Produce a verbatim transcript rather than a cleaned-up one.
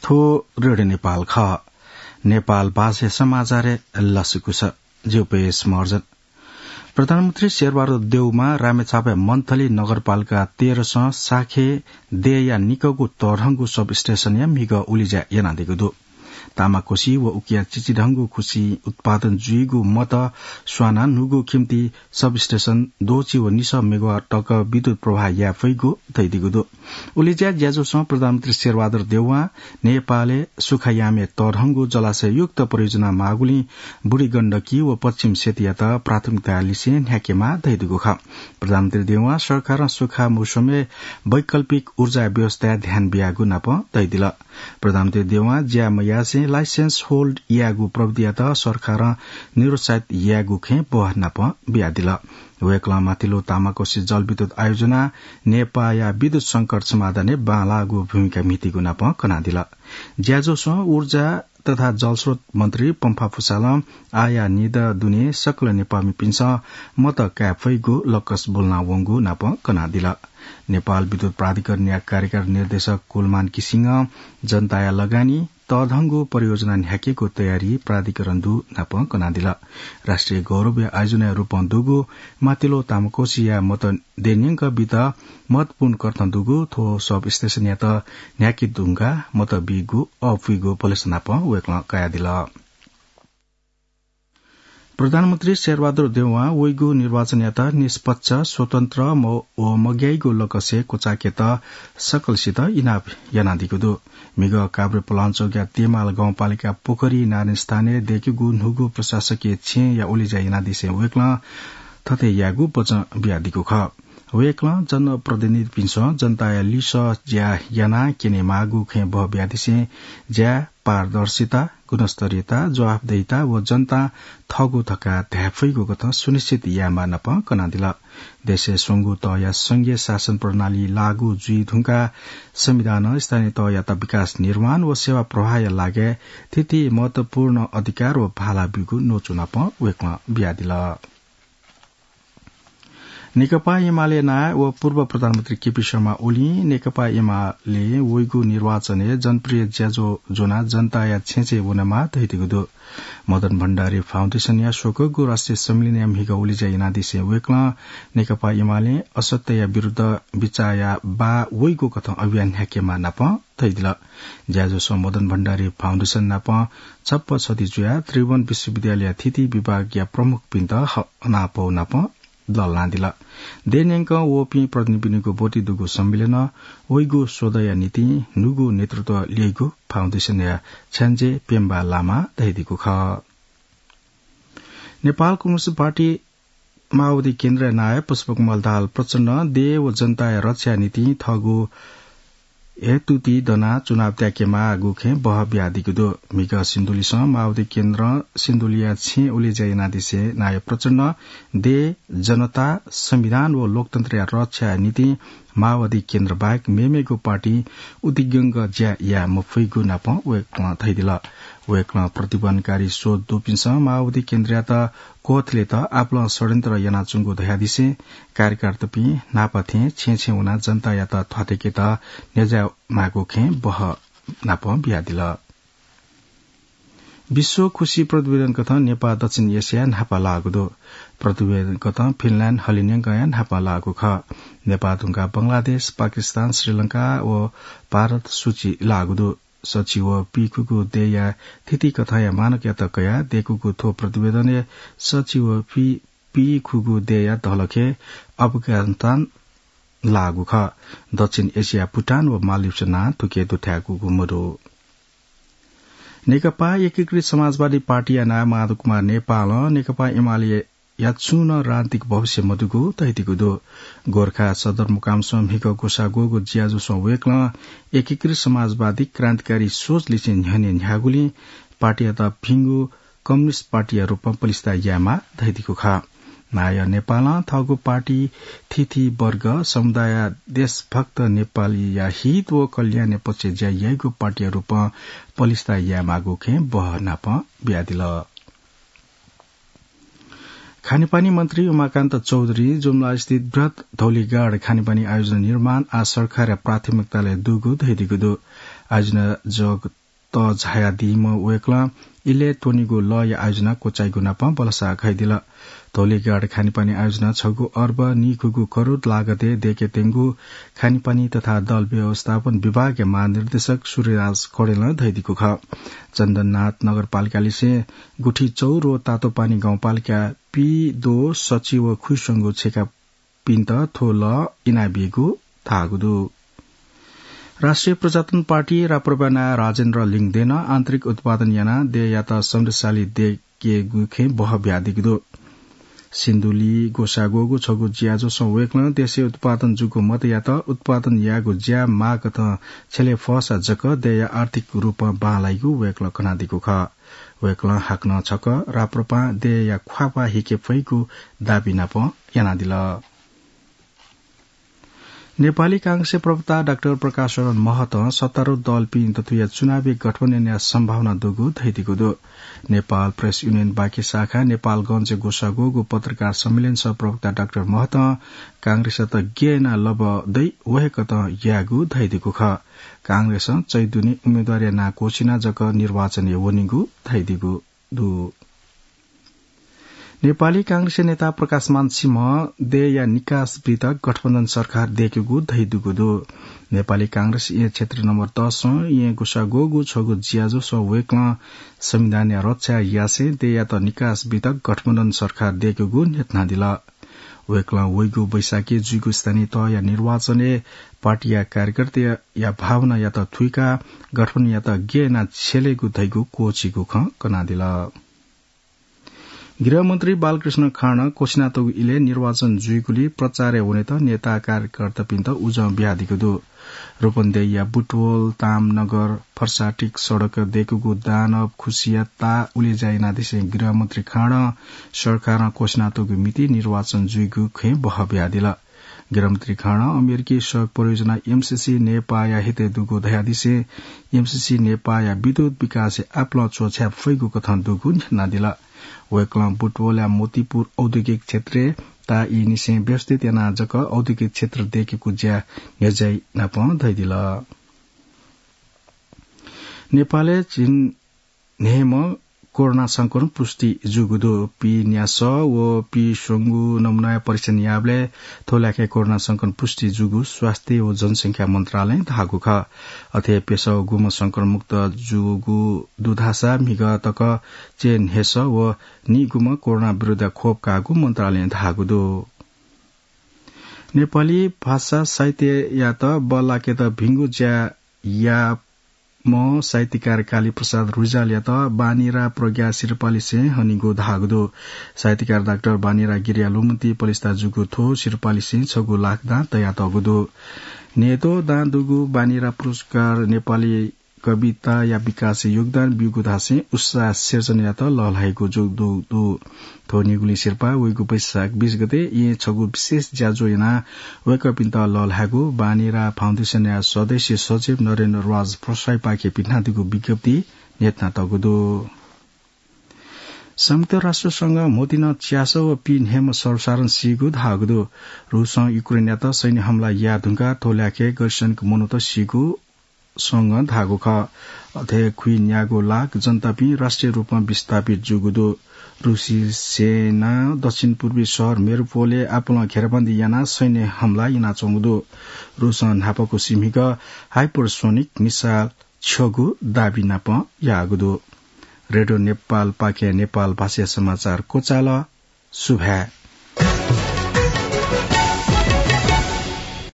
थ्व रेडियो नेपाल खः। नेपाल भाषाया समाचारय् लसकुस। ज्यू पेश मर्जन। प्रधानमन्त्री शेरबहादुर देउवां रामेछापया मन्थली नगरपालिका तेह्रसं साखे देया निकःगु तःधंगु सबस्टेशनया म्हिगः उलेज्या यानादीगु दु। तामाकोसी व उकिया चिचिधंगु खुसी उत्पादन जुइगु मत स्वानाः न्हूगु खिम्ति सबस्टेशन द्वःछि व निसः मेगावाट तक विद्युत प्रवाह याये फइगु धयादीगु दु। उलेज्या ज्याझ्वलय् प्रधानमन्त्री शेरबहादुर देउवां नेपालय् सुखायामय् तःधंगु जलाशययुक्त परियोजना माःगुलिं बुढी गण्डकी व पश्चिम सेतुयात प्राथमिकता लिसें न्ह्याकेमाः धयादीगु खः। प्रधानमन्त्री देउवां सरकारं सुखा मौसमय् वैकल्पिक ऊर्जा व्यवस्थाय् ध्यान बियागु नाप धयादिल। प्रधानमन्त्री देउवां ज्या मयासें license hold यायेगु प्रविधियात सरकारं निरुत्साहित यायेगु खँय् बहः नाप बियादिल। वय्कलं माथिल्लो तामाकोसी जलविद्युत आयोजना नेपाःया विद्युत संकट समाधानय् बांलाःगु भूमिका म्हितीगु नाप कनादिल। ज्याझ्वलय् ऊर्जा तथा जलस्रोत मन्त्री पम्फा पुसालं आःया निदँ दुने सकल नेपाःमिपिन्सं मत काये फइगु लक्कस ब्वलना वंगु नाप कनादिल। नेपाल विद्युत प्राधिकरणया कार्यकारी निर्देशक कुलमान किसिङं जनताया लगानी तःधंगु परियोजना न्ह्याकेगु तयारी प्राधिकरण दु नाप कनादिल। राष्ट्रिय गौरवया आयोजनाया रूपं दुगु माथिल्लो तामाकोसीया मत देय् न्यंक बीत महत्वपूर्ण कथं दुगु थ्व सबस्टेशनयात न्ह्याके धुंकाः मत बीगु अःपुइगु भलसा नाप वय्कलं कयादिल। प्रधानमन्त्री शेरबहादुर देउवां वइगु निर्वाचनयात निष्पक्ष, स्वतन्त्र म-, व मग्याइगु लक्ष्य क्वचायेकेत सकलसित इनाप यानादीगु दु। म्हिगः काभ्रे पलाञ्चोकया तेमाल गाउँपालिका पोखरी नारायणस्थानय् दय्केगु न्हूगु प्रशासकीय छेँया उलेज्या यानादिसें वय्कलं थथे यायेगु वचं बियादीगु खः। वय्कलं जनप्रतिनिधिपिन्सं जनताया लिसः ज्या यानाः क्यनेमाःगु खँय् बहः बियादिसें ज्या, पारदर्शिता, गुणस्तरीयता, जवाफदेहिता व जनतां थःगु धकाः धाये फइगु कथं सुनिश्चित यायेमाः नाप कनादिल। देशय् स्वंगू तःया संघीय शासन प्रणाली लागू जुइ धुंकाः संविधानं स्थानीय तःयात विकास निर्माण व सेवा प्रवाहया लागाय् थीथी महत्वपूर्ण अधिकार व भाला ब्यूगु न्वचु नाप वय्कलं बियादिल। नेकपा एमाले नायः व पूर्व प्रधानमन्त्री केपी शर्मा ओलीं नेकपा एमाले वइगु निर्वाचनय् जनप्रिय ज्याझ्वः ज्वनाः जनताया छेँछेँ वनेमाः धयादीगु दु। मदन भण्डारी फाउन्डेसनया स्वकःगु राष्ट्रिय सम्मेलनया म्हिगः उलेज्या यानादिसें वय्कलं नेकपा एमालें असत्यया विरुद्ध बिचाःया बाः वइगु कथं अभियान न्ह्याकेमाः नाप धयादिल। ज्याझ्वलय् मदन भण्डारी फाउन्डेसन नाप छप्पा छधी जुयाः त्रिभुवन विश्वविद्यालयया थीथी विभागया प्रमुखपिन्त ह-, हनापौ नाप लःल्हानादिल। देय् न्यंक वःपिं प्रतिनिधिपिनिगु ब्वति दुगु सम्मेलनं वइगु स्वदँया निंतिं न्हूगु नेतृत्व ल्यइगु फाउन्डेसनया छ्याञ्जे पेम्बा लामां धयादीगु खः। नेपाल कम्युनिस्ट पार्टी माओवादी केन्द्रया नायः पुष्पकमल दाहाल प्रचण्डं देय् व जनताया रक्षाया निंतिं थःगु हेतुति दनाः चुनाव त्याकेमाःगु खँय् बहः बियादीगु दु। म्हिगः सिन्धुलीसं माओवादी केन्द्रं सिन्धुलीया छेँ उलेज्या यानादिसें नायः प्रचण्डं देय्, जनता, संविधान व लोकतन्त्रया रक्षाया निंतिं माओवादी केन्द्र बाहेक मेमेगु पार्टीं उतिग्यंक ज्या याये मफइगु नाप वय्कलं धयादिल। वय्कलं प्रतिबन्धकारी सोच दुपिन्सं माओवादी केन्द्रयात क्वथलेत आपालं षड्यन्त्र यानाच्वंगु धयादिसें कार्यकर्तापिं न्हापा थें छेँ छेँ वनाः जनतायात थ्वाथय्केत न्ह्यज्यायेमाःगु खँय् बहः नाप बियादिल। विश्व खुसी प्रतिवेदन कथं नेपाः दक्षिण एसियाय् न्हापा लाःगु दु। प्रतिवेदन कथं फिनल्याण्ड हलिंन्यंकया न्हापा लाःगु खः। नेपाः धुंकाः बंगलादेश, पाकिस्तान, श्रीलंका व भारत सूची लाःगु दु। सछि व पीखुगू देय्या थिति कथंया मानकयात कयाः दय्कूगु थ्व प्रतिवेदनय् सछि व पी, पीखुगू देय्या धलखय् अफगानिस्तान लाःगु खः। दक्षिण एसियाय् भुटान व मालदिप्स नां थुके दुथ्याकूगु मदु। नेकपा एकीकृत समाजवादी पार्टीया नायः माधव कुमार नेपालं नेकपा एमालेया छुं नं राजनीतिक भविष्य मदुगु धयादीगु दु। गोरखा सदरमुकामसं म्हिगः ग्वसाः ग्वःगु ज्याझ्वलय् वय्कलं एकीकृत समाजवादी क्रान्तिकारी सोच लिसें न्ह्यःने न्ह्याःगुलिं पार्टीयात भिंगु कम्युनिस्ट पार्टीया रूपं पलिस्था यायेमाः धयादीगु खः। नायः नेपालं थःगु पार्टी थीथी वर्ग, समुदाय, देशभक्त नेपालीया हित व कल्याणया पक्षय् ज्या याइगु पार्टीया रूपं पलिस्था यायेमाःगु खँय् बहः नाप बियादिल। खानेपानी मन्त्री उमाकान्त चौधुरीं जुम्लास्थित बृहत् धौलीगढ खानेपानी आयोजना निर्माण आः सरकारया प्राथमिकतालय् दुगु धयादीगु दु। आयोजना जगत झायादीम्ह वय्कलं इलय् त्वनीगु लःया आयोजना क्वचाइगु नापं बलसा घयेदिल। धौलीघाट खानेपानी आयोजना छगू अर्ब निखुगू करोड लागतय् दय्केत्यंगु खानेपानी तथा दल व्यवस्थापन विभागया महानिर्देशक सूर्यराज कणेलं धयादीगु खः। चन्दननाथ नगरपालिकालिसें गुठी चौर व तातोपानी गाउँपालिका पि, दो, सचि व खुइस्वंगू छेकापिन्त थ्व लः इनाबीगु धाःगु दु। राष्ट्रिय प्रजातन्त्र पार्टी राप्रपा नायः राजेन्द्र लिङदेनं आन्तरिक उत्पादन यानाः देय्‌यात समृद्धशाली दय्केगु खँय् बहः बियादीगु दु। सिन्धुली ग्वसाः ग्वःगु छगू ज्याझ्वलय् वय्कलं देशय् उत्पादन जूगु मतयात उत्पादन यायेगु ज्या माःकथं छ्यले फःसा जक देय्‌या आर्थिक रूपं बांलाइगु वय्कलं कनादीगु खः। वय्कलं हाकनं छकः राप्रपां देय्‌या ख्वाःपाः हिके फइगु दाबी नापं यानादिल। नेपाली कांग्रेसया प्रवक्ता डाक्टर प्रकाश शरण महतं सत्तारूढ दलपिं दथुया चुनावी गठबन्धनया सम्भावना दुगु धयादीगु दु। नेपाल प्रेस युनियन बाँके शाखा नेपालगञ्जय् ग्वसाः ग्वःगु पत्रकार सम्मेलनय् प्रवक्ता डाक्टर महतं कांग्रेसयात गय् यानाः लबः दइ व हे कथं यायेगु धयादीगु खः। कांग्रेसं चैतुनि उम्मेदवारया नां क्वःछिनाः जक निर्वाचनय् वनीगु धयादीगु दु। नेपाली कांग्रेसया नेता प्रकाशमान सिंहं देय्‌या निकास बीत गठबन्धन सरकार दय्केगु धयादीगु दु। नेपाली कांग्रेस येँ क्षेत्र नम्बर दसं येँ ग्वसाः ग्वःगु छगू ज्याझ्वलय् वय्कलं संविधानया रक्षा यासें देय्‌यात निकास बीत गठबन्धन सरकार दय्केगु न्ह्यथनादिल। वय्कलं वइगु वैशाखय् जुइगु स्थानीय तहया निर्वाचनय् पार्टीया कार्यकर्ताया भावनायात थुइकाः गठबन्धनयात गय् यानाः छ्यलेगु धइगु क्वःछीगु खँ कनादिल। गृहमन्त्री बालकृष्ण खाँडं क्वःछिनातःगु इलय् निर्वाचन जुइगुलिं प्रचारय् वनेत नेता कार्यकर्तापिन्त उजं बियादीगु दु। रूपन्देहीया बुटवल, तामनगर, फर्साटिक सडक दय्कूगु दानव खुसिया ताः उलेज्या यानादिसें गृहमन्त्री खाँडं सरकारं क्वःछिनातःगु मिति निर्वाचन जुइगु खँय् बहः बियादिल। गृहमन्त्री खाँडं अमेरिकी सहयोग परियोजना एमसीसी नेपाःया हितय् दुगु धयादिसें एमसीसी नेपाःया विद्युत विकासय् आपालं च्वछाये फइगु कथं दुगु न्ह्यथनादिल। वय्कलं बुटवलया मोतीपुर औद्योगिक क्षेत्रय् ताः ईनिसें व्यवस्थित यानाः जक औद्योगिक क्षेत्र दय्केगु ज्या न्ह्यज्याइ नापं धयादिल। नेपालय् झिंन्हय्म्ह कोरोना संक्रमण पुष्टि जूगु दु। पीन्यासः व पीस्वंगू नमुनाया परीक्षण याःबलय् थ्व ल्याखय् कोरोना संक्रमण पुष्टि जूगु स्वास्थ्य व जनसंख्या मन्त्रालयं धाःगु खः। अथे प्यसः व गुम्ह संक्रमण मुक्त जूगु दु धाःसा म्हिगः तक च्यय्न्हय्सः व निगुम्ह कोरोना विरुद्ध खोप काःगु मन्त्रालयं धाःगु दु। नेपाली भाषा साहित्ययात बल्लाकेत भिंगु ज्या याःम्ह साहित्यकार कालीप्रसाद रिजालयात बानीरा प्रज्ञा सिरपालिसें हनीगु धाःगु दु। साहित्यकार डाक्टर बानीरा गिरिया लुमन्ति पलिस्था जूगु थ्व सिरपालिसें छगू लाख दां तयातःगु दु। न्हय्द्वः दां दुगु बानीरा पुरस्कार नेपाली कविताया विकासय् योगदान ब्यूगु धासें उत्साह सिर्जनायात लःल्हाइगु जूगु दु। थ्व निगुलिं सिरपाः वइगु वैशाख बीस गते येँ छगू विशेष ज्याझ्वः यानाः वय्कःपिन्त लःल्हायेगु बानीरा फाउन्डेसनया सदस्य सचिव नरेन्द्र राज प्रसाईपाखें पिथनादीगु विज्ञप्तिइ न्ह्यथनातःगु दु। संयुक्त राष्ट्र संघं म्होतिं च्यासः व पीन्हय्म्ह सर्वसाधारण सीगु धाःगु दु। रूसं युक्रेनयात सैन्य हमला याये धुंकाः थ्व ल्याखय् गैरसैनिक मनूत सीगु संघं धाःगु खः। अथे खुइन्यागू लाख जनतापिं राष्ट्रिय रूपं विस्थापित जूगु दु। रूसी सेनां दक्षिण पूर्वी शहर मेरिउपोलय् आपालं घेराबन्दी यानाः सैन्य हमला यानाच्वंगु दु। रूसं न्हापांगु सिम्हिक हाइपरसोनिक मिसाइल छ्यःगु दाबी नापं याःगु दु। रेडियो नेपालपाखें नेपाल भाषाया समाचार क्वचाल। सुभाय्।